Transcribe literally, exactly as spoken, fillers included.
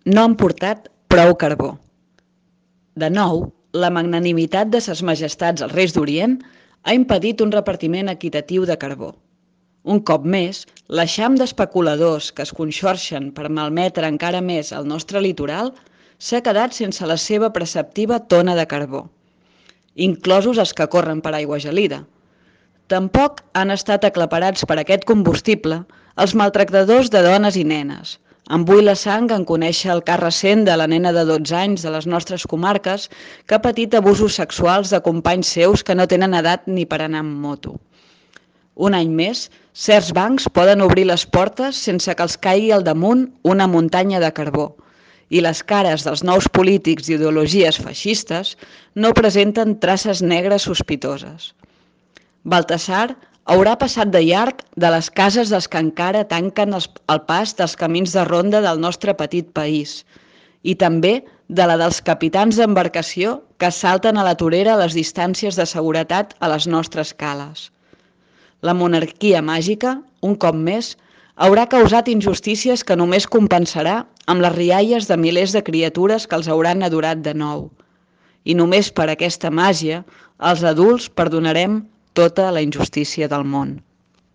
no han portat prou carbó. De nou, la magnanimitat de ses majestats els reis d'Orient ha impedit un repartiment equitatiu de carbó. Un cop més, l'eixam d'especuladors que es conxorxen per malmetre encara més el nostre litoral s'ha quedat sense la seva preceptiva tona de carbó, inclosos els que corren per aigua gelida. Tampoc han estat aclaparats per aquest combustible els maltractadors de dones i nenes. Em bull la sang en conèixer el cas recent de la nena de dotze anys de les nostres comarques que ha patit abusos sexuals de companys seus que no tenen edat ni per anar amb moto. Un any més, certs bancs poden obrir les portes sense que els caigui al damunt una muntanya de carbó, i les cares dels nous polítics d'ideologies feixistes no presenten traces negres sospitoses. Baltasar haurà passat de llarg de les cases dels que encara tanquen el pas dels camins de ronda del nostre petit país i també de la dels capitans d'embarcació que salten a la torera a les distàncies de seguretat a les nostres cales. La monarquia màgica, un cop més, haurà causat injustícies que només compensarà amb les rialles de milers de criatures que els hauran adorat de nou. I només per aquesta màgia, els adults perdonarem tota la injustícia del món.